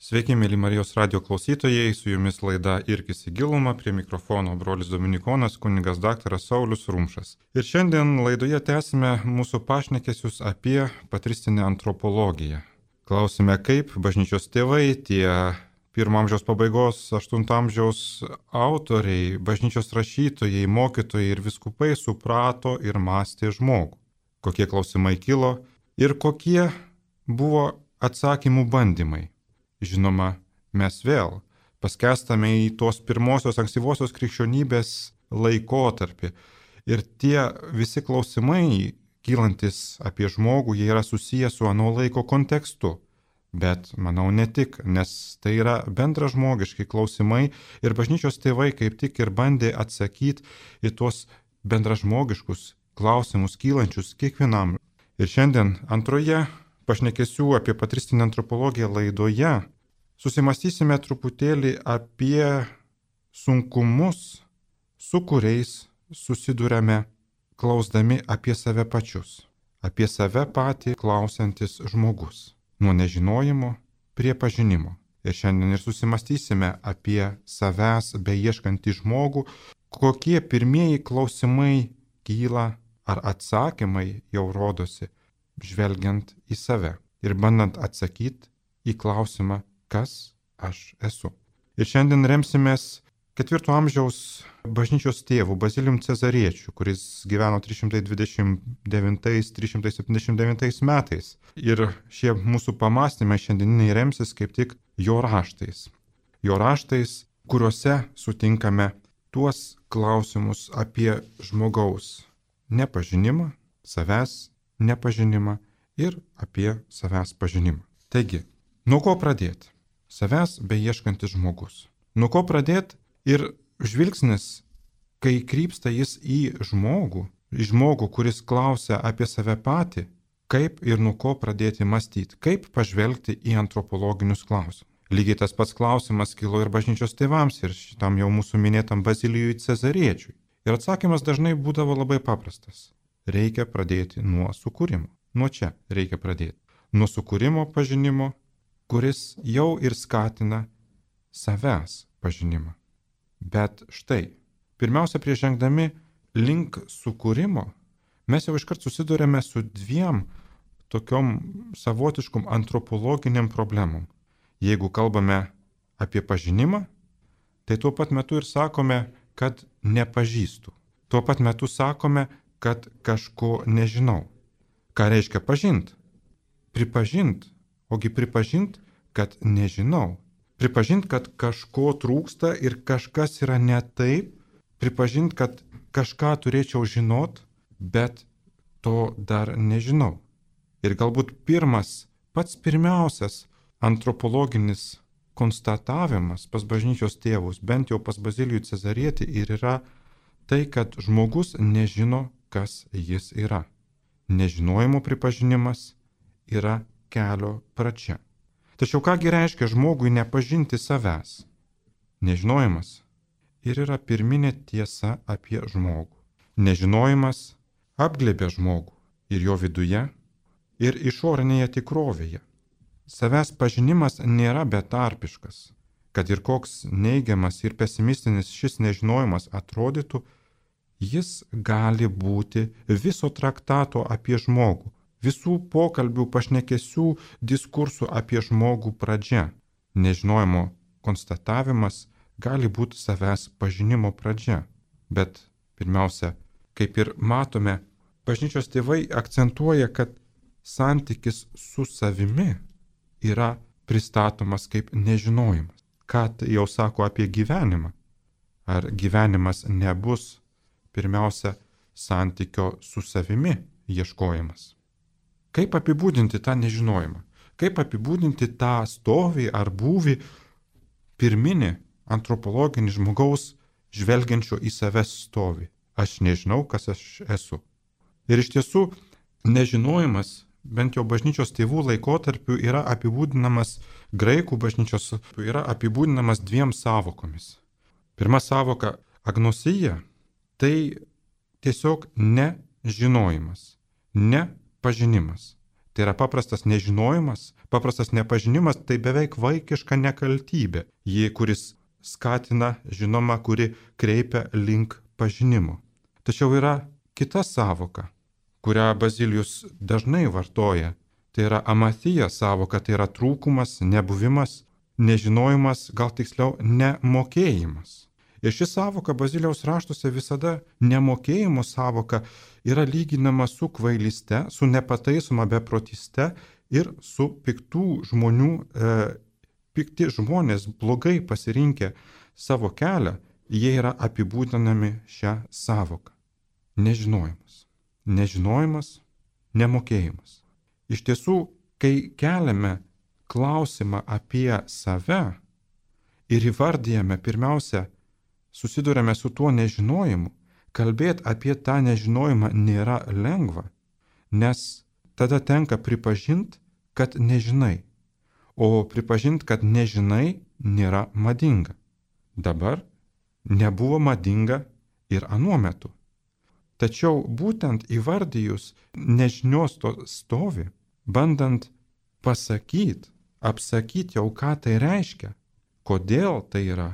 Sveiki, mėly Marijos radio klausytojai, su jumis laida Irkis į gilumą, prie mikrofono brolis Dominikonas, kunigas daktaras Saulius Rumšas. Ir šiandien laidoje tęsime mūsų pašnekesius apie patristinę antropologiją. Klausime, kaip bažnyčios tėvai, tie 1 amžiaus pabaigos, 8 amžiaus autoriai, bažnyčios rašytojai, mokytojai ir vyskupai suprato ir mąstė žmogų. Kokie klausimai kilo ir kokie buvo atsakymų bandymai. Žinoma, mes vėl paskęstame į tos pirmosios ankstyvosios krikščionybės laikotarpį. Ir tie visi klausimai, kylantis apie žmogų, jie yra susiję su ano laiko kontekstu. Bet, manau, ne tik, nes tai yra bendražmogiški klausimai ir bažnyčios tėvai kaip tik ir bandė atsakyti į tuos bendražmogiškus klausimus kylančius kiekvienam. Ir šiandien antroje pašnekesių apie patristinę antropologiją laidoje susimastysime truputėlį apie sunkumus, su kuriais susiduriame klausdami apie save pačius, apie save patį klausantis žmogus, nuo nežinojimo prie pažinimo. Ir šiandien ir susimastysime apie savęs beieškantį žmogų, kokie pirmieji klausimai kyla ar atsakymai jau rodosi, žvelgiant į save ir bandant atsakyti į klausimą, kas aš esu. Ir šiandien remsimės 4 amžiaus bažnyčios tėvų Bazilijum Cezariečiu, kuris gyveno 329-379 metais. Ir šie mūsų pamastymai šiandieniniai remsis kaip tik jo raštais. Jo raštais, kuriuose sutinkame tuos klausimus apie žmogaus nepažinimą, savęs nepažinimą ir apie savęs pažinimą. Taigi, nuo ko pradėti? Savęs beieškantis žmogus. Nuo ko pradėti ir žvilgsnis, kai krypsta jis į žmogų, kuris klausia apie save patį, kaip ir nuo ko pradėti mąstyti, kaip pažvelgti į antropologinius klausimus. Lygiai tas pats klausimas kilo ir bažnyčios tėvams ir šitam jau mūsų minėtam Bazilijui Cezariečiui. Ir atsakymas dažnai būdavo labai paprastas. Reikia pradėti nuo sukūrimo. Nuo čia reikia pradėti. Nuo sukūrimo pažinimo, kuris jau ir skatina savęs pažinimą. Bet štai, pirmiausia, prieš žengdami link sukūrimo, mes jau iškart susidurėme su 2 tokiom savotiškom antropologiniam problemom. Jeigu kalbame apie pažinimą, tai tuo pat metu ir sakome, kad nepažįstu. Tuo pat metu sakome, kad kažko nežinau. Ką reiškia pažint? Pripažint. Ogi pripažint, kad nežinau. Pripažint, kad kažko trūksta ir kažkas yra ne taip. Pripažint, kad kažką turėčiau žinot, bet to dar nežinau. Ir galbūt pats pirmiausias antropologinis konstatavimas pas bažnyčios tėvus, bent jau pas Bazilijų Cezarietį, ir yra tai, kad žmogus nežino, kas jis yra. Nežinojimo pripažinimas yra kelio pradžia. Tačiau kągi reiškia žmogui nepažinti savęs? Nežinojimas ir yra pirminė tiesa apie žmogų. Nežinojimas apglėbia žmogų ir jo viduje, ir išorinėje tikrovėje. Savęs pažinimas nėra betarpiškas. Kad ir koks neigiamas ir pesimistinis šis nežinojimas atrodytų, jis gali būti viso traktato apie žmogų, visų pokalbių, pašnekesių, diskursų apie žmogų pradžia. Nežinojimo konstatavimas gali būti savęs pažinimo pradžia. Bet pirmiausia, kaip ir matome, bažnyčios tėvai akcentuoja, kad santykis su savimi yra pristatomas kaip nežinojimas. Ką tai jau sako apie gyvenimą? Ar gyvenimas nebus pirmiausia santykio su savimi ieškojimas? Kaip apibūdinti tą nežinojimą? Kaip apibūdinti tą stovį ar būvį pirminį antropologinį žmogaus žvelgiančio į save stovį? Aš nežinau, kas aš esu. Ir iš tiesų nežinojimas, bent jau bažnyčios tėvų laikotarpiu, yra apibūdinamas, graikų bažnyčios yra apibūdinamas 2 sąvokomis. Pirma sąvoka agnosija, tai tiesiog nežinojimas, nepažinimas. Tai yra paprastas nežinojimas, paprastas nepažinimas, tai beveik vaikiška nekaltybė, kuris skatina, žinoma, kuri kreipia link pažinimo. Tačiau yra kita savoka, kurią Bazilijus dažnai vartoja. Tai yra amatija savoka, tai yra trūkumas, nebuvimas, nežinojimas, gal tiksliau nemokėjimas. Ir ši savoka Bazilijaus raštuose visada nemokėjimo savoka yra lyginama su kvailyste, su nepataisoma beprotyste ir su piktų žmonių, pikti žmonės blogai pasirinkę savo kelią, jie yra apibūdinami šią savoką. Nežinojimas. Nežinojimas, nemokėjimas. Iš tiesų, kai keliame klausimą apie save ir įvardyjame pirmiausia, susidurėme su tuo nežinojimu, kalbėti apie tą nežinojimą nėra lengva, nes tada tenka pripažinti, kad nežinai, o pripažinti, kad nežinai, nėra madinga. Dabar nebuvo madinga ir anuo metu. Tačiau būtent įvardyjus nežinios to stovi, bandant pasakyti, apsakyti jau ką tai reiškia, kodėl tai yra,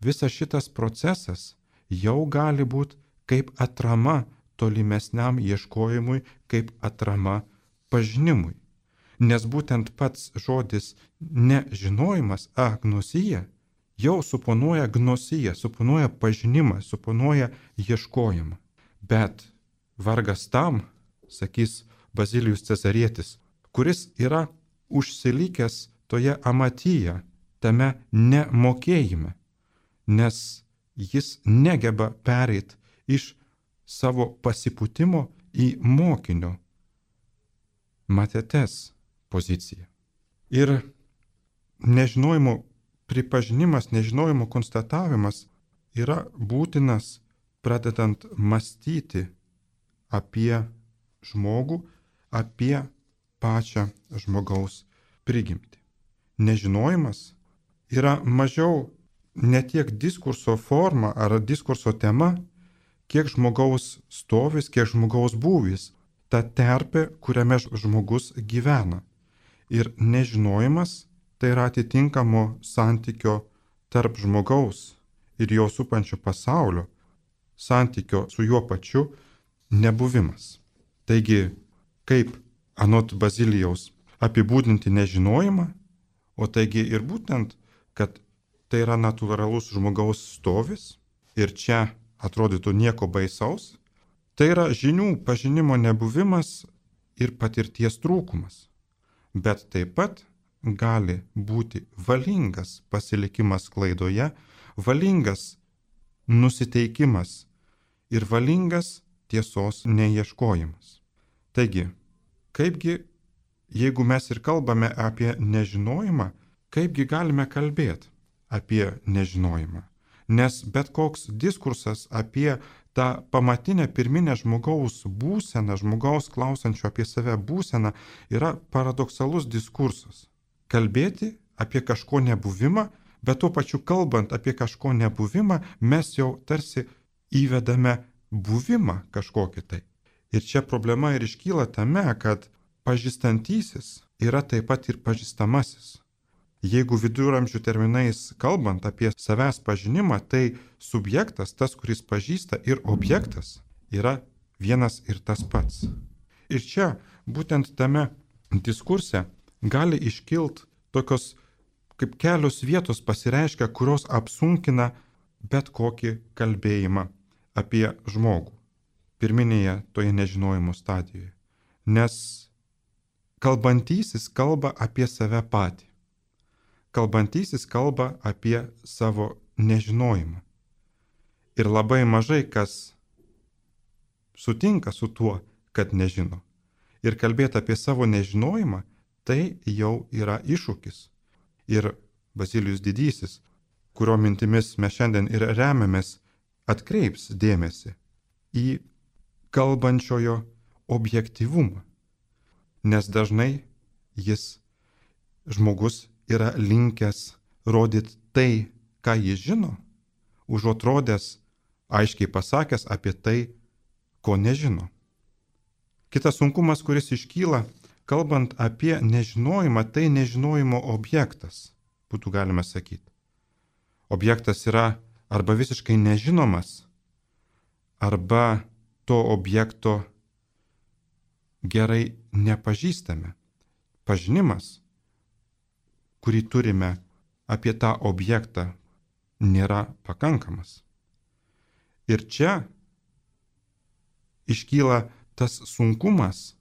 visas šitas procesas jau gali būti kaip atrama tolimesniam ieškojimui, kaip atrama pažinimui. Nes būtent pats žodis nežinojimas, agnosija, jau suponuoja gnosiją, suponuoja pažinimą, suponuoja ieškojimą. Bet vargas tam, sakys Bazilijus Cezarietis, kuris yra užsilikęs toje amatyje, tame nemokėjime, nes jis negeba pereiti iš savo pasipūtimo į mokinio matetes poziciją. Ir nežinojimo pripažinimas, nežinojimo konstatavimas yra būtinas pradedant mąstyti apie žmogų, apie pačią žmogaus prigimtį. Nežinojimas yra mažiau ne tiek diskurso forma ar diskurso tema, kiek žmogaus stovis, kiek žmogaus būvis, ta terpė, kuriame žmogus gyvena. Ir nežinojimas tai yra atitinkamo santykio tarp žmogaus ir jo supančio pasaulio, santykio su juo pačiu nebuvimas. Taigi, kaip anot Bazilijaus apibūdinti nežinojimą, o taigi ir būtent, kad tai yra natūralus žmogaus stovis ir čia atrodytų nieko baisaus, tai yra žinių pažinimo nebuvimas ir patirties trūkumas. Bet taip pat gali būti valingas pasilikimas klaidoje, valingas nusiteikimas ir valingas tiesos neieškojimas. Taigi, kaipgi, jeigu mes ir kalbame apie nežinojimą, kaipgi galime kalbėti apie nežinojimą? Nes bet koks diskursas apie tą pamatinę pirminę žmogaus būseną, žmogaus klausančio apie save būseną yra paradoksalus diskursas. Kalbėti apie kažko nebuvimą, bet tuo pačiu kalbant apie kažko nebuvimą, mes jau tarsi įvedame buvimą kažkokį tai. Ir čia problema ir iškyla tame, kad pažįstantysis yra taip pat ir pažįstamasis. Jeigu viduramžių terminais kalbant apie savęs pažinimą, tai subjektas, tas, kuris pažįsta, ir objektas yra vienas ir tas pats. Ir čia, būtent tame diskurse, gali iškilt tokios kaip kelios vietos pasireiškia, kurios apsunkina bet kokį kalbėjimą apie žmogų pirminėje toje nežinojimo stadijoje. Nes kalbantysis kalba apie save patį. Kalbantysis kalba apie savo nežinojimą. Ir labai mažai kas sutinka su tuo, kad nežino. Ir kalbėti apie savo nežinojimą, tai jau yra iššūkis. Ir Bazilijus Didysis, kurio mintimis mes šiandien ir remiamės, atkreips dėmesį į kalbančiojo objektyvumą. Nes dažnai žmogus yra linkęs rodyti tai, ką jis žino, užuot rodęs, aiškiai pasakęs apie tai, ko nežino. Kitas sunkumas, kuris iškyla, kalbant apie nežinojimą, tai nežinojimo objektas, būtų galima sakyti. Objektas yra arba visiškai nežinomas, arba to objekto gerai nepažįstame. Pažinimas, kurį turime apie tą objektą, nėra pakankamas. Ir čia iškyla tas sunkumas,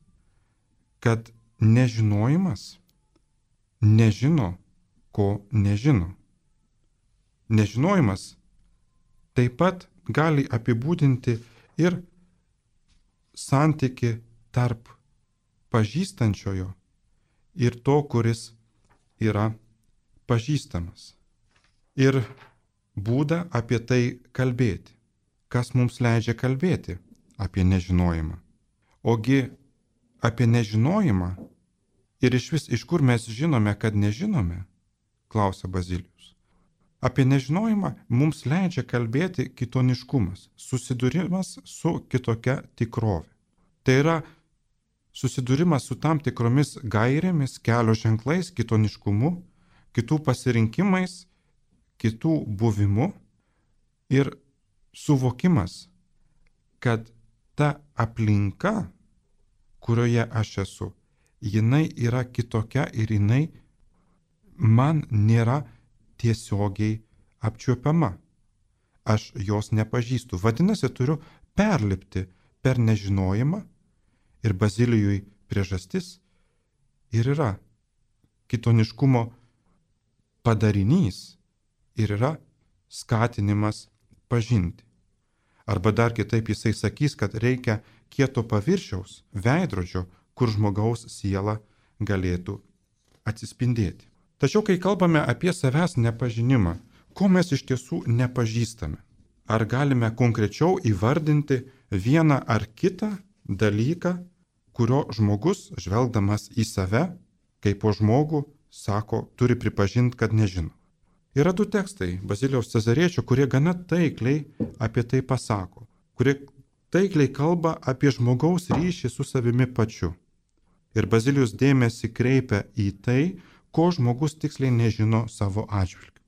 kad nežinojimas nežino, ko nežino. Nežinojimas taip pat gali apibūdinti ir santyki tarp pažįstančiojo ir to, kuris yra pažįstamas. Ir būdą apie tai kalbėti. Kas mums leidžia kalbėti apie nežinojimą? Ogi apie nežinojimą ir iš kur mes žinome, kad nežinome, klausia Bazilijus. Apie nežinojimą mums leidžia kalbėti kitoniškumas, susidūrimas su kitokia tikrove. Tai yra susidūrimas su tam tikromis gairėmis, kelio ženklais, kitoniškumu, kitų pasirinkimais, kitų buvimu ir suvokimas, kad ta aplinka, kurioje aš esu, jinai yra kitokia ir jinai man nėra tiesiogiai apčiuopiama. Aš jos nepažįstu. Vadinasi, turiu perlipti per nežinojimą ir Bazilijui priežastis ir yra kitoniškumo padarinys ir yra skatinimas pažinti. Arba dar kitaip jisai sakys, kad reikia kieto paviršiaus, veidrodžio, kur žmogaus siela galėtų atsispindėti. Tačiau, kai kalbame apie savęs nepažinimą, ko mes iš tiesų nepažįstame? Ar galime konkrečiau įvardinti vieną ar kitą dalyką, kurio žmogus, žvelgdamas į save, kaip po žmogų, sako, turi pripažinti, kad nežino? Yra du tekstai Bazilijaus Cezariečio, kurie gana taikliai apie tai pasako, kurie taikliai kalba apie žmogaus ryšį su savimi pačiu. Ir Bazilijus dėmesį kreipia į tai, ko žmogus tiksliai nežino savo atžvilgiu.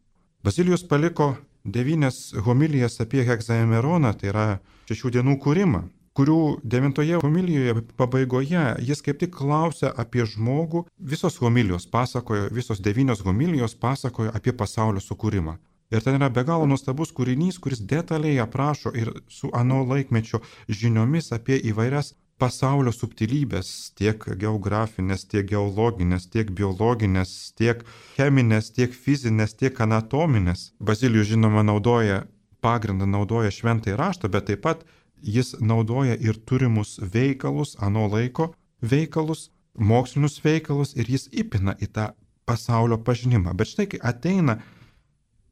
Bazilijus paliko 9 homilijas apie hegzaemeroną, tai yra 6 dienų kūrimą, kurių 9 homilijoje pabaigoje jis kaip tik klausia apie žmogų. Visos homilijos pasakojo, visos 9 homilijos pasakojo apie pasaulio sukūrimą. Ir ten yra be galo nuostabus kūrinys, kuris detaliai aprašo ir su ano laikmečio žiniomis apie įvairias pasaulio subtilybės, tiek geografinės, tiek geologinės, tiek biologinės, tiek cheminės, tiek fizinės, tiek anatominės. Bazilijus, žinoma, naudoja šventąjį raštą, bet taip pat jis naudoja ir turimus veikalus, ano laiko veikalus, mokslinius veikalus ir jis įpina į tą pasaulio pažinimą. Bet štai, kai ateina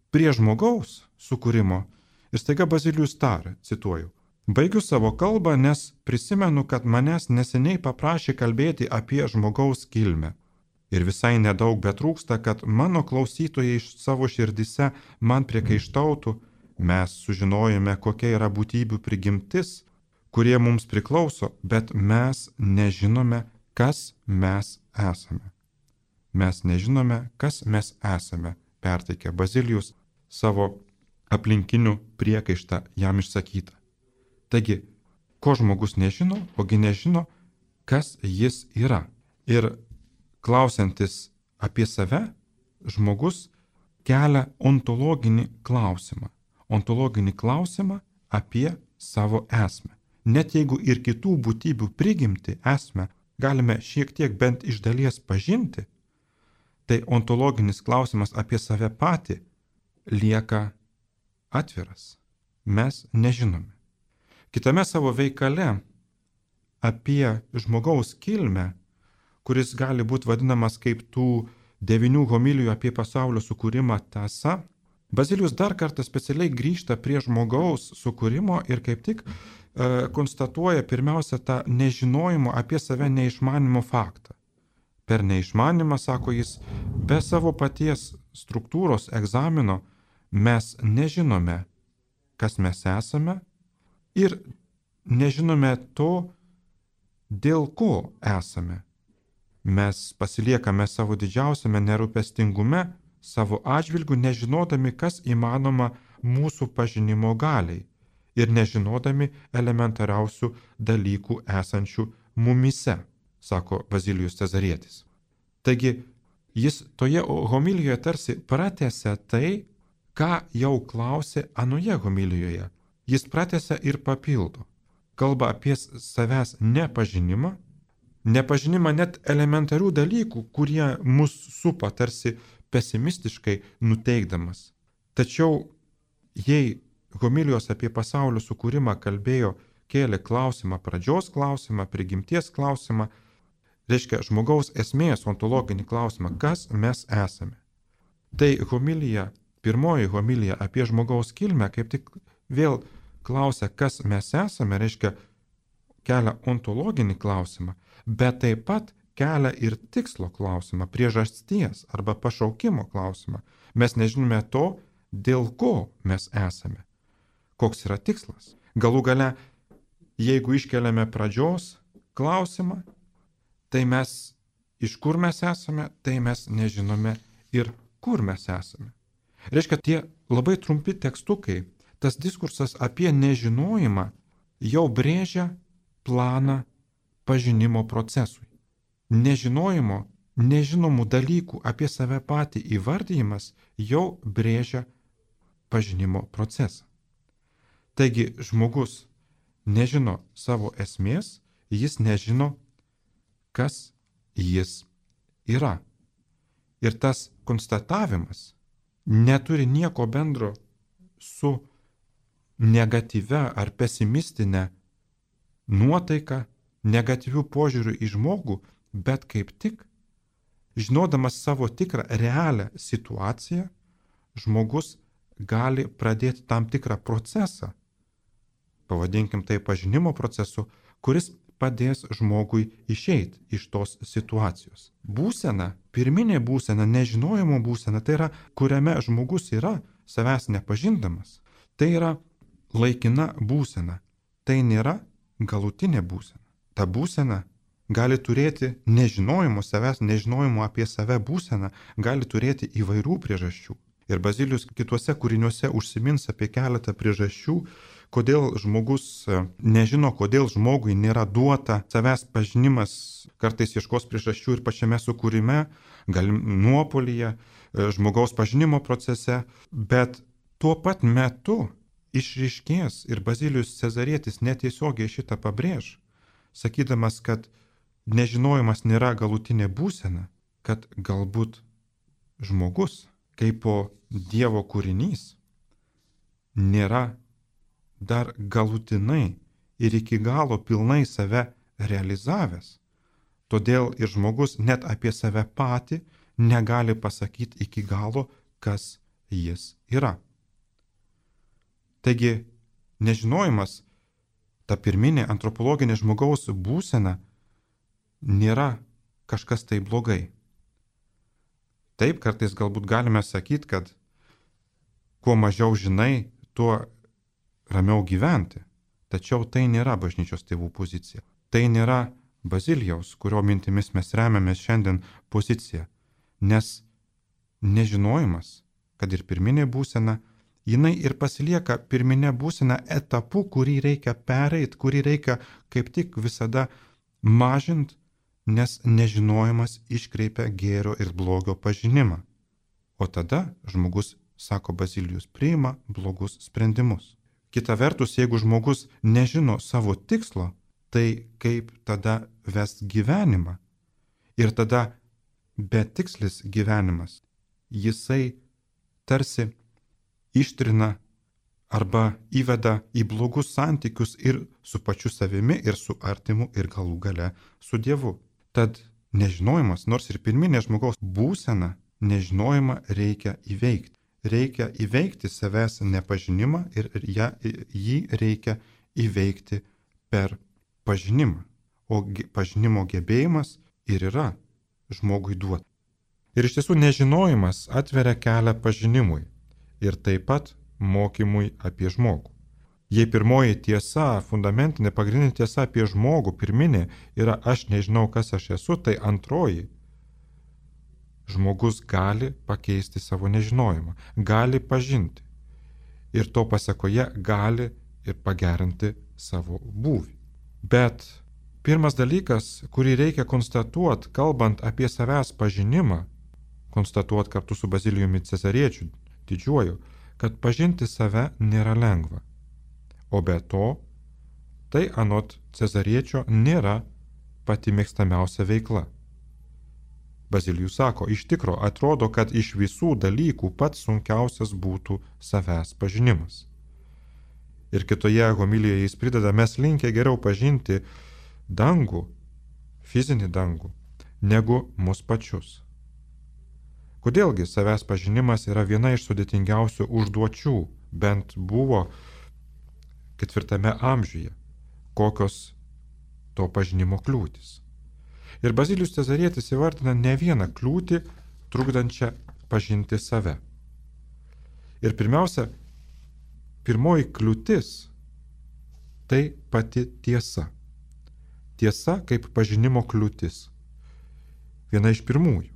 prie žmogaus sukūrimo ir staiga Bazilijus taria, cituoju, baigiu savo kalbą, nes prisimenu, kad manęs neseniai paprašė kalbėti apie žmogaus kilmę. Ir visai nedaug betrūksta, kad mano klausytojai iš savo širdise man priekaištautų, mes sužinojome, kokia yra būtybių prigimtis, kurie mums priklauso, bet mes nežinome, kas mes esame. Mes nežinome, kas mes esame, perteikė Bazilijus savo aplinkinių priekaištą jam išsakytą. Taigi, ko žmogus nežino, ogi nežino, kas jis yra. Ir klausiantis apie save, žmogus kelia ontologinį klausimą. Ontologinį klausimą apie savo esmę. Net jeigu ir kitų būtybių prigimti esmę galime šiek tiek bent iš dalies pažinti, tai ontologinis klausimas apie save patį lieka atviras. Mes nežinome. Kitame savo veikale apie žmogaus kilmę, kuris gali būti vadinamas kaip tų 9 homilijų apie pasaulio sukūrimą tąsa, Bazilijus dar kartą specialiai grįžta prie žmogaus sukūrimo ir kaip tik konstatuoja pirmiausia tą nežinojimo apie save neišmanimo faktą. Per neišmanimą, sako jis, be savo paties struktūros egzamino mes nežinome, kas mes esame ir nežinome to, dėl ko esame. Mes pasiliekame savo didžiausiame nerūpestingume, savo atžvilgiu, nežinodami, kas įmanoma mūsų pažinimo galiai ir nežinodami elementariausių dalykų esančių mumise, sako Bazilijus Cezarietis. Taigi, jis toje homilijoje tarsi pratęsia tai, ką jau klausė anoje homilijoje. Jis pratęsia ir papildo. Kalba apie savęs nepažinimą net elementarių dalykų, kurie mus supa tarsi pesimistiškai nuteikdamas. Tačiau jei homilijos apie pasaulio sukūrimą kėlė klausimą, pradžios klausimą, prigimties klausimą, reiškia žmogaus esmės ontologinį klausimą, kas mes esame. Tai pirmoji homilija apie žmogaus kilmę kaip tik vėl klausia, kas mes esame, reiškia kelia ontologinį klausimą, bet taip pat kelia ir tikslo klausimą, priežasties arba pašaukimo klausimą. Mes nežinome to, dėl ko mes esame. Koks yra tikslas? Galų gale, jeigu iškeliame pradžios klausimą, tai mes iš kur mes esame, tai mes nežinome ir kur mes esame. Reiškia, tie labai trumpi tekstukai, tas diskursas apie nežinojimą jau brėžia planą pažinimo procesui. Nežinomų dalykų apie save patį įvardyjimas jau brėžia pažinimo procesą. Taigi žmogus nežino savo esmės, jis nežino, kas jis yra. Ir tas konstatavimas neturi nieko bendro su negatyvia ar pesimistinė nuotaika, negatyvių požiūrių į žmogų, bet kaip tik, žinodamas savo tikrą realią situaciją, žmogus gali pradėti tam tikrą procesą, pavadinkim tai pažinimo procesu, kuris padės žmogui išeiti iš tos situacijos. Būsena, pirminė būsena, nežinojimo būsena, tai yra, kuriame žmogus yra savęs nepažindamas. Tai yra laikina būsena. Tai nėra galutinė būsena. Ta būsena gali turėti nežinojimo savęs, nežinojimo apie save būseną, gali turėti įvairių priežasčių. Ir Bazilijus kituose kūriniuose užsimins apie keletą priežasčių, kodėl žmogus nežino, kodėl žmogui nėra duota savęs pažinimas, kartais ieškos priežasčių ir pačiame sukūrime, gal nuopolyje, žmogaus pažinimo procese, bet tuo pat metu išryškės ir Bazilijus Cezarietis netiesiogiai šitą pabrėž, sakydamas, kad nežinojimas nėra galutinė būsena, kad galbūt žmogus kaip po Dievo kūrinys nėra dar galutinai ir iki galo pilnai save realizavęs. Todėl ir žmogus net apie save patį negali pasakyti iki galo, kas jis yra. Taigi, nežinojimas, ta pirminė antropologinė žmogaus būsena nėra kažkas tai blogai. Taip, kartais galbūt galime sakyti, kad kuo mažiau žinai, tuo ramiau gyventi. Tačiau tai nėra bažnyčios tėvų pozicija. Tai nėra Bazilijaus, kurio mintimis mes remiamės šiandien pozicija. Nes nežinojimas, kad ir pirminė būsena, jinai ir pasilieka pirminė būsena etapu, kurį reikia pereiti, kurį reikia kaip tik visada mažinti, nes nežinojimas iškreipia gėrio ir blogio pažinimą. O tada žmogus, sako Bazilijus, priima blogus sprendimus. Kita vertus, jeigu žmogus nežino savo tikslo, tai kaip tada vest gyvenimą? Ir tada betikslis gyvenimas, jisai tarsi ištrina arba įveda į blogus santykius ir su pačiu savimi, ir su artimu, ir galų gale su Dievu. Tad nežinojimas, nors ir pirminė žmogaus būsena, nežinojimą reikia įveikti. Reikia įveikti savęs nepažinimą ir jį reikia įveikti per pažinimą. O pažinimo gebėjimas ir yra žmogui duota. Ir iš tiesų nežinojimas atveria kelią pažinimui ir taip pat mokymui apie žmogų. Jei pirmoji tiesa, fundamentinė pagrindinė tiesa apie žmogų, pirminė, yra aš nežinau, kas aš esu, tai antroji. Žmogus gali pakeisti savo nežinojimą, gali pažinti ir to pasekoje gali ir pagerinti savo būvį. Bet pirmas dalykas, kurį reikia konstatuoti, kalbant apie savęs pažinimą, konstatuoti kartu su Bazilijumi Cezariečiu didžiuoju, kad pažinti save nėra lengva. O be to, tai anot Cezariečio nėra pati mėgstamiausia veikla. Bazilijus sako, iš tikro atrodo, kad iš visų dalykų pats sunkiausias būtų savęs pažinimas. Ir kitoje homilijoje jis prideda, mes linkę geriau pažinti dangų, fizinį dangų, negu mus pačius. Kodėlgi savęs pažinimas yra viena iš sudėtingiausių užduočių, bent buvo 4 amžiuje, kokios to pažinimo kliūtis. Ir Bazilijus Cezarietis įvardina ne vieną kliūtį, trukdančią pažinti save. Ir pirmiausia, pirmoji kliūtis – tai pati tiesa. Tiesa kaip pažinimo kliūtis. Viena iš pirmųjų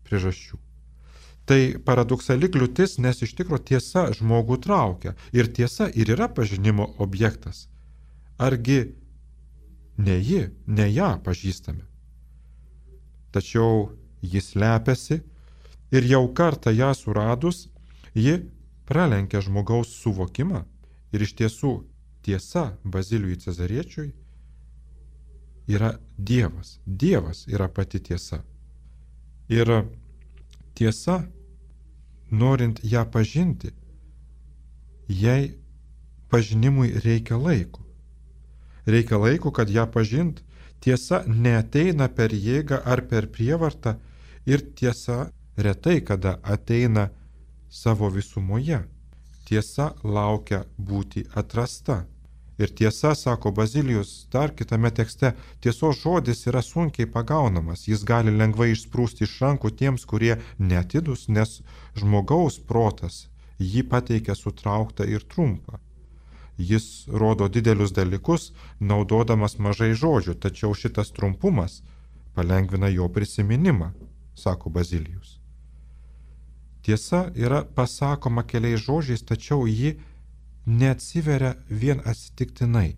priežasčių. Tai paradoksali kliūtis, nes iš tikro tiesa žmogų traukia. Ir tiesa ir yra pažinimo objektas. Argi ne ji, ne ją pažįstame. Tačiau jis slepiasi ir jau kartą ją suradus, ji pralenkia žmogaus suvokimą. Ir iš tiesų tiesa Bazilijui Cezariečiui yra Dievas. Dievas yra pati tiesa. Ir tiesa, norint ją pažinti, jai pažinimui reikia laiko. Reikia laiko, kad ją pažint. Tiesa neateina per jėgą ar per prievartą ir tiesa retai kada ateina savo visumoje. Tiesa laukia būti atrasta. Ir tiesa, sako Bazilijus dar kitame tekste, tiesos žodis yra sunkiai pagaunamas, jis gali lengvai išsprūsti iš rankų tiems, kurie neatidus, nes žmogaus protas jį pateikia sutrauktą ir trumpą. Jis rodo didelius dalykus, naudodamas mažai žodžių, tačiau šitas trumpumas palengvina jo prisiminimą, sako Bazilijus. Tiesa yra pasakoma keliais žodžiais, tačiau ji neatsiveria vien atsitiktinai.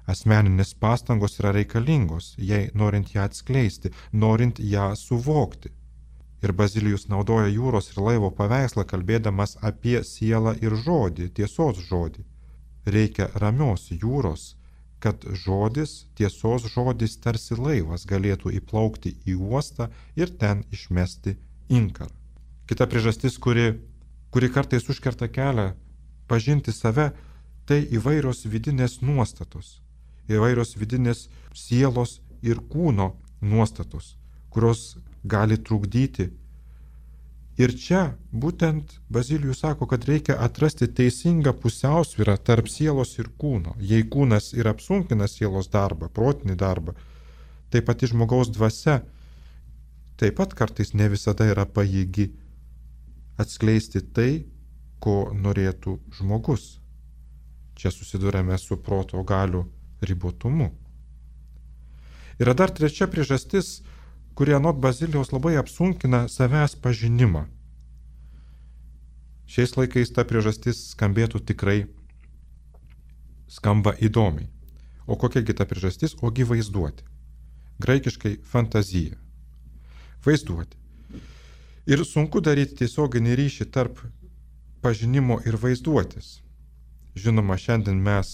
Asmeninės pastangos yra reikalingos, jei norint ją atskleisti, norint ją suvokti. Ir Bazilijus naudoja jūros ir laivo paveikslą, kalbėdamas apie sielą ir žodį, tiesos žodį. Reikia ramios jūros, kad žodis, tiesos žodis tarsi laivas galėtų įplaukti į uostą ir ten išmesti inkarą. Kita priežastis, kuri kartais užkerta kelią pažinti save, tai įvairios vidinės nuostatos, įvairios vidinės sielos ir kūno nuostatos, kurios gali trukdyti. Ir čia būtent Bazilijus sako, kad reikia atrasti teisingą pusiausvyrą tarp sielos ir kūno. Jei kūnas ir apsunkina sielos darbą, protinį darbą, tai pati žmogaus dvasia taip pat kartais ne visada yra pajėgi atskleisti tai, ko norėtų žmogus. Čia susidurėme su proto galių ribotumu. Yra dar trečia priežastis, kuri anot Bazilijaus labai apsunkina savęs pažinimą. Šiais laikais ta priežastis skambėtų tikrai skamba įdomiai. O kokia kita priežastis? Ogi vaizduoti. Graikiškai fantazija. Vaizduoti. Ir sunku daryti tiesioginį ryšį tarp pažinimo ir vaizduotės. Žinoma, šiandien mes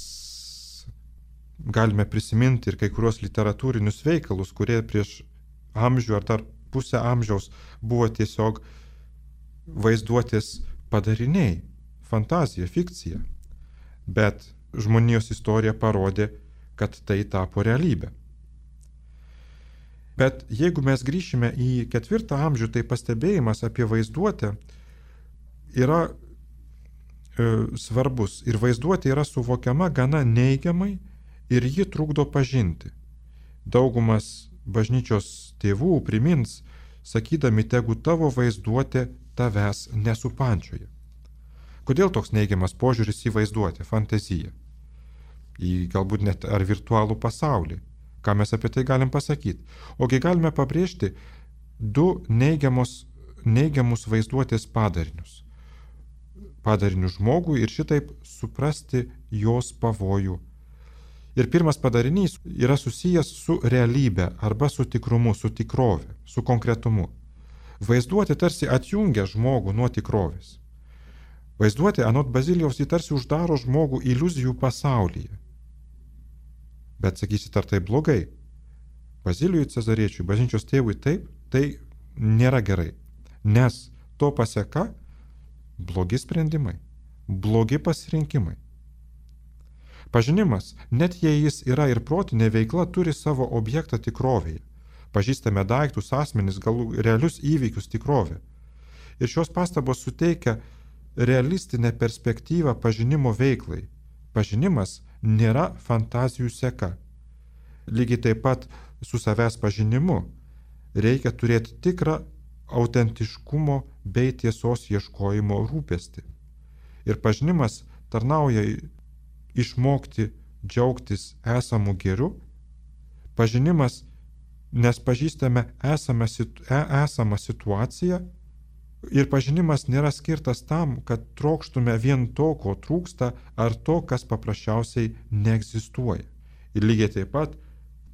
galime prisiminti ir kai kurios literatūrinius veikalus, kurie prieš amžių ar dar pusę amžiaus buvo tiesiog vaizduotės padariniai, fantazija, fikcija. Bet žmonijos istorija parodė, kad tai tapo realybė. Bet jeigu mes grįšime į 4 amžių, tai pastebėjimas apie vaizduotę yra svarbus. Ir vaizduotė yra suvokiama gana neigiamai ir ji trukdo pažinti. Daugumas bažnyčios tėvų primins, sakydami, tegu tavo vaizduotė tavęs nesupančioja. Kodėl toks neigiamas požiūris į vaizduotę, fantaziją? Į galbūt net ar virtualų pasaulį? Ką mes apie tai galim pasakyti? Ogi galime pabrėžti du neigiamus vaizduotės padarinius. Padarinius žmogui ir šitaip suprasti jos pavojų. Ir pirmas padarinys yra susijęs su realybė arba su tikrumu, su tikrove, su konkretumu. Vaizduotė tarsi atjungia žmogų nuo tikrovės. Vaizduotė anot Bazilijaus jį tarsi uždaro žmogų iliuzijų pasaulyje. Bet sakysit, ar tai blogai? Bazilijui Cezariečiui, bažnyčios tėvui taip, tai nėra gerai. Nes to paseka blogi sprendimai, blogi pasirinkimai. Pažinimas, net jei jis yra ir protinė veikla, turi savo objektą tikrovėje. Pažįstame daiktus, asmenis, realius įvykius tikrovę. Ir šios pastabos suteikia realistinę perspektyvą pažinimo veiklai. Pažinimas nėra fantazijų seka. Lygiai taip pat su savęs pažinimu reikia turėti tikrą autentiškumo bei tiesos ieškojimo rūpestį. Ir pažinimas tarnauja išmokti džiaugtis esamų geriu. Pažinimas, nes pažįstame esamą situaciją. Ir pažinimas nėra skirtas tam, kad trokštume vien to, ko trūksta, ar to, kas paprasčiausiai neegzistuoja. Ir lygiai taip pat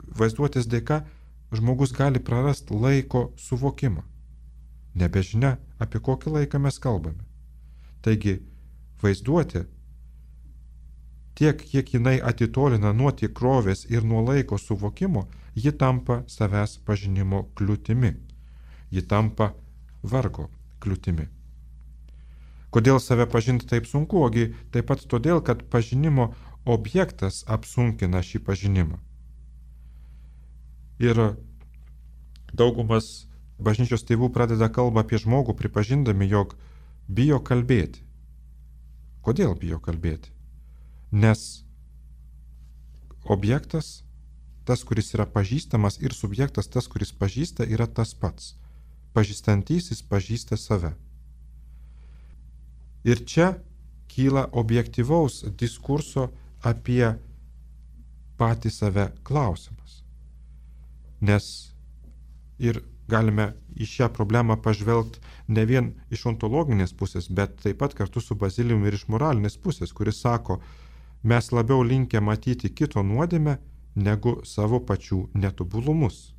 vaizduotės dėka žmogus gali prarasti laiko suvokimą. Nebežinia, apie kokį laiką mes kalbame. Taigi, vaizduotė, tiek kiek jinai atitolina nuo tikrovės ir nuo laiko suvokimo, ji tampa savęs pažinimo kliūtimi. Ji tampa vargo kliūtimi. Kodėl save pažinti taip sunku? Ogi taip pat todėl, kad pažinimo objektas apsunkina šį pažinimą. Ir daugumas bažnyčios tėvų pradeda kalbą apie žmogų, pripažindami, jog bijo kalbėti. Kodėl bijo kalbėti? Nes objektas, tas, kuris yra pažįstamas, ir subjektas, tas, kuris pažįsta, yra tas pats. Pažįstantysis pažįsta save. Ir čia kyla objektyvaus diskurso apie patį save klausimas. Nes ir galime į šią problemą pažvelgti ne vien iš ontologinės pusės, bet taip pat kartu su Bazilijumi ir iš moralinės pusės, kuris sako, mes labiau linkę matyti kito nuodėmę negu savo pačių netobulumus.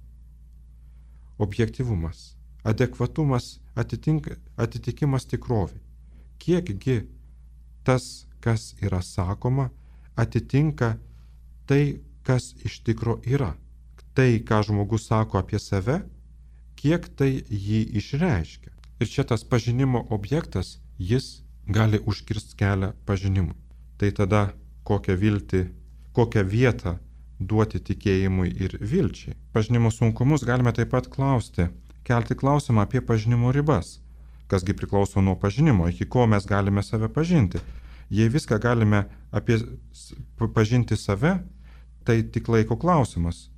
Objektyvumas, adekvatumas, atitikimas tikrovai. Kiekgi tas, kas yra sakoma, atitinka tai, kas iš tikro yra. Tai, ką žmogus sako apie save, kiek tai jį išreiškia. Ir čia tas pažinimo objektas, jis gali užkirsti kelią pažinimui. Tai tada kokią vietą duoti tikėjimui ir vilčiai. Pažinimo sunkumus galime taip pat kelti klausimą apie pažinimo ribas. Kasgi priklauso nuo pažinimo, iki ko mes galime save pažinti. Jei viską galime pažinti save, tai tik laiko klausimas.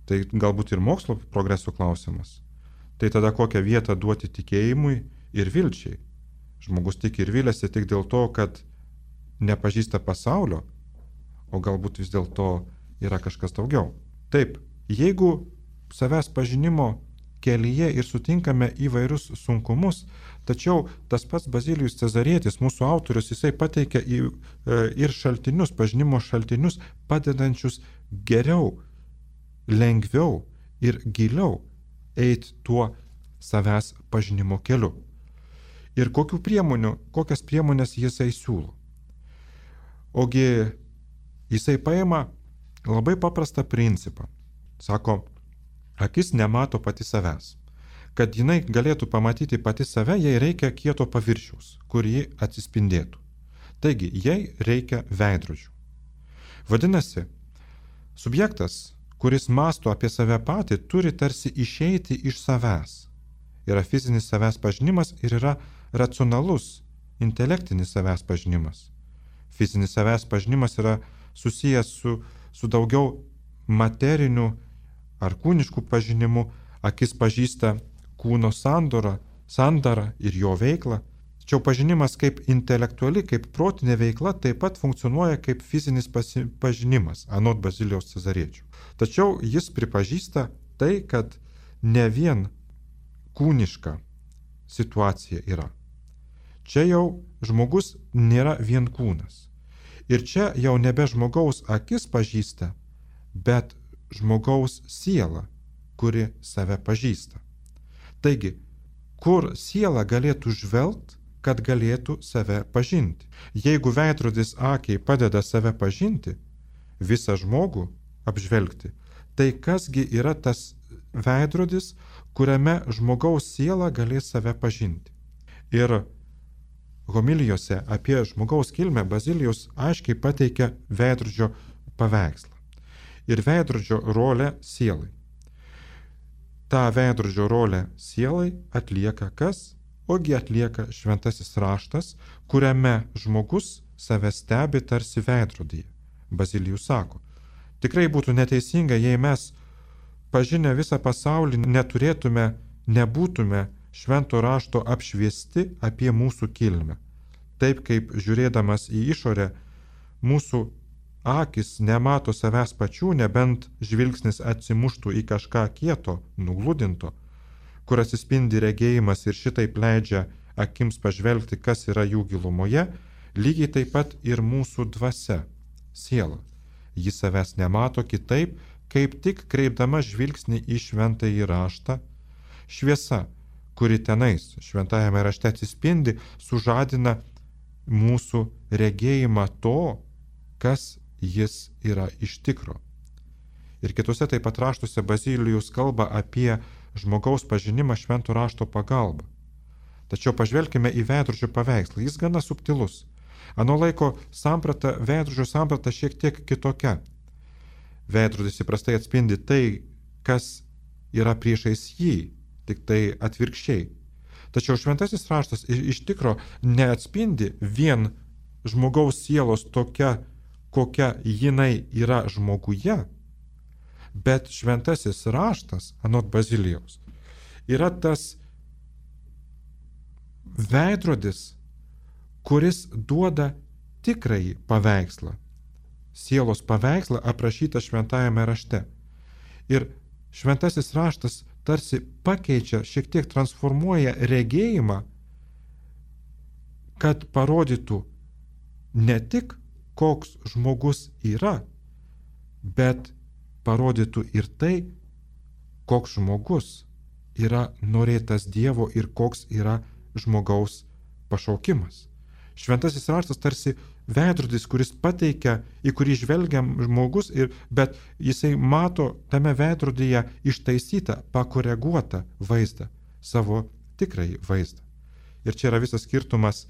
Tai galbūt ir mokslo progreso klausimas. Tai tada kokią vietą duoti tikėjimui ir vilčiai. Žmogus tiki ir viliasi tik dėl to, kad nepažįsta pasaulio, o galbūt vis dėlto yra kažkas daugiau. Taip, jeigu savęs pažinimo kelyje ir sutinkame įvairius sunkumus, tačiau tas pats Bazilijus Cezarietis, mūsų autorius, jisai pateikia ir šaltinius, pažinimo šaltinius, padedančius geriau, lengviau ir giliau eiti tuo savęs pažinimo keliu. Ir kokias priemonės jisai siūlo. Ogi jisai paima labai paprastą principą. Sako, akis nemato pati savęs. Kad jinai galėtų pamatyti pati save, jai reikia kieto paviršiaus, kur ji atsispindėtų. Taigi, jai reikia veidrodžių. Vadinasi, subjektas, kuris mąsto apie save patį, turi tarsi išeiti iš savęs. Yra fizinis savęs pažinimas ir yra racionalus, intelektinis savęs pažinimas. Fizinis savęs pažinimas yra susijęs su daugiau materiniu ar kūniškų pažinimu, akis pažįsta kūno sandarą ir jo veiklą, Tačiau pažinimas kaip intelektuali, kaip protinė veikla taip pat funkcionuoja kaip fizinis pažinimas, anot Bazilijaus Cezariečio. Tačiau jis pripažįsta tai, kad ne vien kūniška situacija yra. Čia jau žmogus nėra vien kūnas. Ir čia jau nebe žmogaus akis pažįsta, bet žmogaus siela, kuri save pažįsta. Taigi, kur siela galėtų žvelgti, kad galėtų save pažinti? Jeigu veidrodis akiai padeda save pažinti, visą žmogų apžvelgti, tai kasgi yra tas veidrodis, kuriame žmogaus siela galės save pažinti? Ir homilijose apie žmogaus kilmę Bazilijus aiškiai pateikia veidrodžio paveikslą ir veidrodžio rolę sielai. Ta veidrodžio rolę sielai atlieka kas? Ogi atlieka šventasis raštas, kuriame žmogus save stebi tarsi veidrodyje. Bazilijus sako, tikrai būtų neteisinga, jei mes pažinę visą pasaulį nebūtume švento rašto apšviesti apie mūsų kilmę. Taip kaip žiūrėdamas į išorę, mūsų akis nemato savęs pačių, nebent žvilgsnis atsimuštų į kažką kieto, nugludinto, kur atsispindi regėjimas ir šitaip leidžia akims pažvelgti, kas yra jų gilumoje, lygiai taip pat ir mūsų dvasia, siela. Ji savęs nemato kitaip, kaip tik kreipdama žvilgsnį į šventąjį raštą. Šviesa, kuri tenais šventajame rašte atsispindi, sužadina mūsų regėjimą to, kas jis yra iš tikro. Ir kitose taip pat raštuose Bazilijus kalba apie žmogaus pažinimą švento rašto pagalba. Tačiau pažvelkime į veidrodžio paveikslą, jis gana subtilus. Ano laiko samprata, veidrodžio samprata šiek tiek kitokia. Veidrodis įprastai atspindi tai, kas yra priešais jį, tik tai atvirkščiai. Tačiau šventasis raštas iš tikro neatspindi vien žmogaus sielos tokia, kokia jinai yra žmoguje, bet šventasis raštas, anot Bazilijaus, yra tas veidrodis, kuris duoda tikrąjį paveikslą, sielos paveikslą aprašytą šventajame rašte. Ir šventasis raštas tarsi pakeičia, šiek tiek transformuoja regėjimą, kad parodytų ne tik koks žmogus yra, bet parodytų ir tai, koks žmogus yra norėtas Dievo ir koks yra žmogaus pašaukimas. Šventasis raštas tarsi veidrodis, kuris pateikia, į kurį žvelgiam žmogus, bet jisai mato tame veidrodyje ištaisytą, pakoreguotą vaizdą, savo tikrąjį vaizdą. Ir čia yra visas skirtumas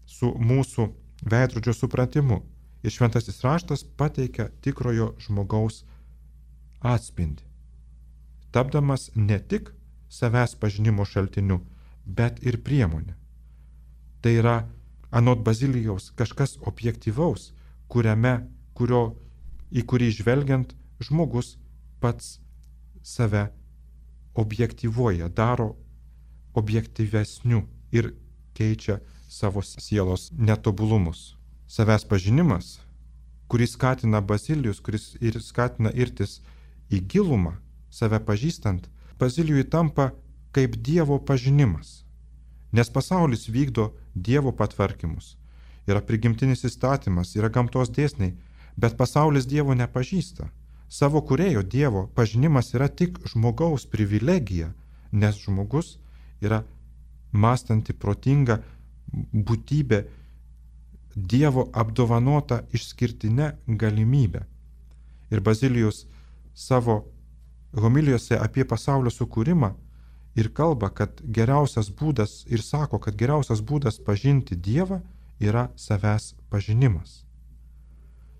su mūsų veidrodžio supratimu. Ir šventasis raštas pateikia tikrojo žmogaus atspindį, tapdamas ne tik savęs pažinimo šaltiniu, bet ir priemonė. Tai yra, anot Bazilijaus, kažkas objektyvaus, į kurį žvelgiant žmogus pats save objektyvuoja, daro objektyvesniu ir keičia savo sielos netobulumus. Savęs pažinimas, kuris skatina Bazilijus, kuris ir skatina irtis į gilumą, save pažįstant, Bazilijui tampa kaip Dievo pažinimas. Nes pasaulis vykdo Dievo patvarkymus. Yra prigimtinis įstatymas, yra gamtos dėsniai, bet pasaulis Dievo nepažįsta. Savo kūrėjo Dievo pažinimas yra tik žmogaus privilegija, nes žmogus yra mąstanti, protinga būtybė, Dievo apdovanota išskirtinė galimybė. Ir Bazilijus savo homilijose apie pasaulio sukūrimą ir kalba, kad geriausias būdas, ir sako, kad geriausias būdas pažinti Dievą yra savęs pažinimas.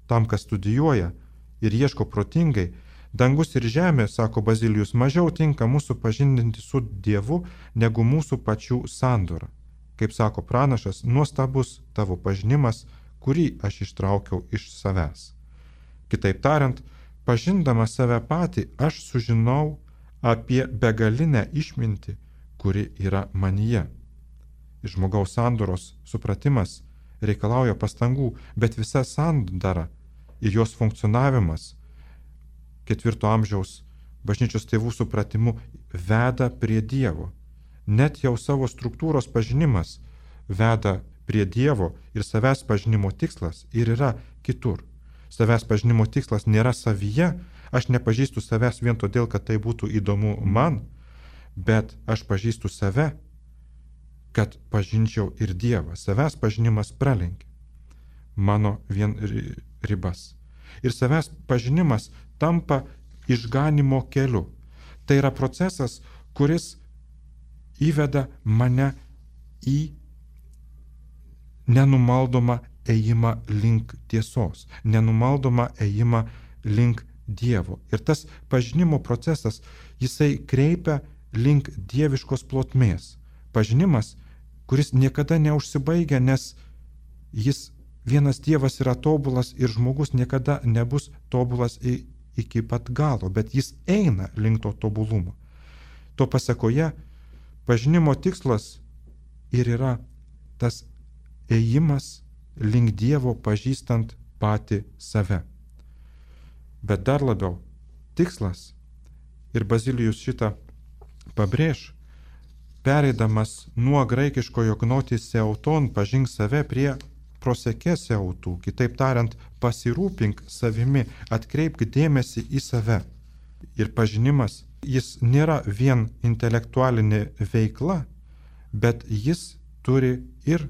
Tam, kas studijuoja ir ieško protingai, dangus ir žemė, sako Bazilijus, mažiau tinka mūsų pažindinti su Dievu negu mūsų pačių sandora. Kaip sako pranašas, nuostabus tavo pažinimas, kurį aš ištraukiau iš savęs. Kitaip tariant, pažindamas save patį, aš sužinau apie begalinę išmintį, kuri yra manyje. žmogaus sandoros supratimas reikalauja pastangų, bet visa sandara ir jos funkcionavimas 4 amžiaus bažnyčios tėvų supratimu veda prie Dievo. Net jau savo struktūros pažinimas veda prie Dievo ir savęs pažinimo tikslas ir yra kitur. Savęs pažinimo tikslas nėra savyje, aš nepažįstu savęs vien todėl, kad tai būtų įdomu man, bet aš pažįstu save, kad pažinčiau ir Dievą. Savęs pažinimas pralenkia mano vien ribas. Ir savęs pažinimas tampa išganimo keliu. Tai yra procesas, kuris įveda mane į nenumaldomą ėjimą link tiesos, nenumaldomą ėjimą link Dievo. Ir tas pažinimo procesas, jisai kreipia link dieviškos plotmės. Pažinimas, kuris niekada neužsibaigia, nes jis vienas Dievas yra tobulas ir žmogus niekada nebus tobulas iki pat galo, bet jis eina link to tobulumo. To pasekoje pažinimo tikslas ir yra tas ėjimas link Dievo pažįstant patį save. Bet dar labiau tikslas, ir Bazilijus šitą pabrėž, pereidamas nuo graikiškojo gnotis seuton pažink save prie prosekė seutų, kitaip tariant, pasirūpink savimi, atkreipk dėmesį į save. Ir pažinimas, jis nėra vien intelektualinė veikla, bet jis turi ir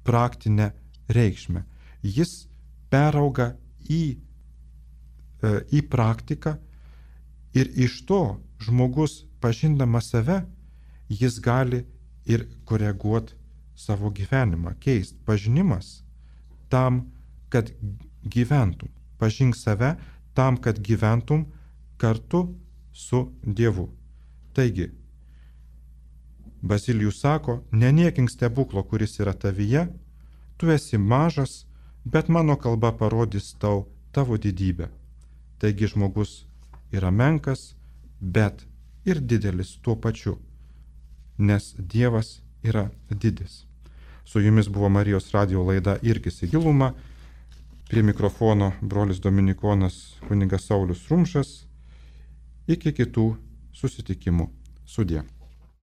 praktinę reikšmę. Jis perauga į praktiką ir iš to žmogus pažindamas save, jis gali ir koreguoti savo gyvenimą, keisti. Pažinimas tam, kad gyventum. Pažink save tam, kad gyventum kartu su Dievu. Taigi, Bazilijus sako, neniekink stebuklo, kuris yra tavyje, tu esi mažas, bet mano kalba parodys tau tavo didybę. Taigi žmogus yra menkas, bet ir didelis tuo pačiu, nes Dievas yra didis. Su jumis buvo Marijos radijo laida Irkis į gilumą. Prie mikrofono brolis dominikonas kunigas Saulius Rumšas. Iki kitų susitikimų. Sudie.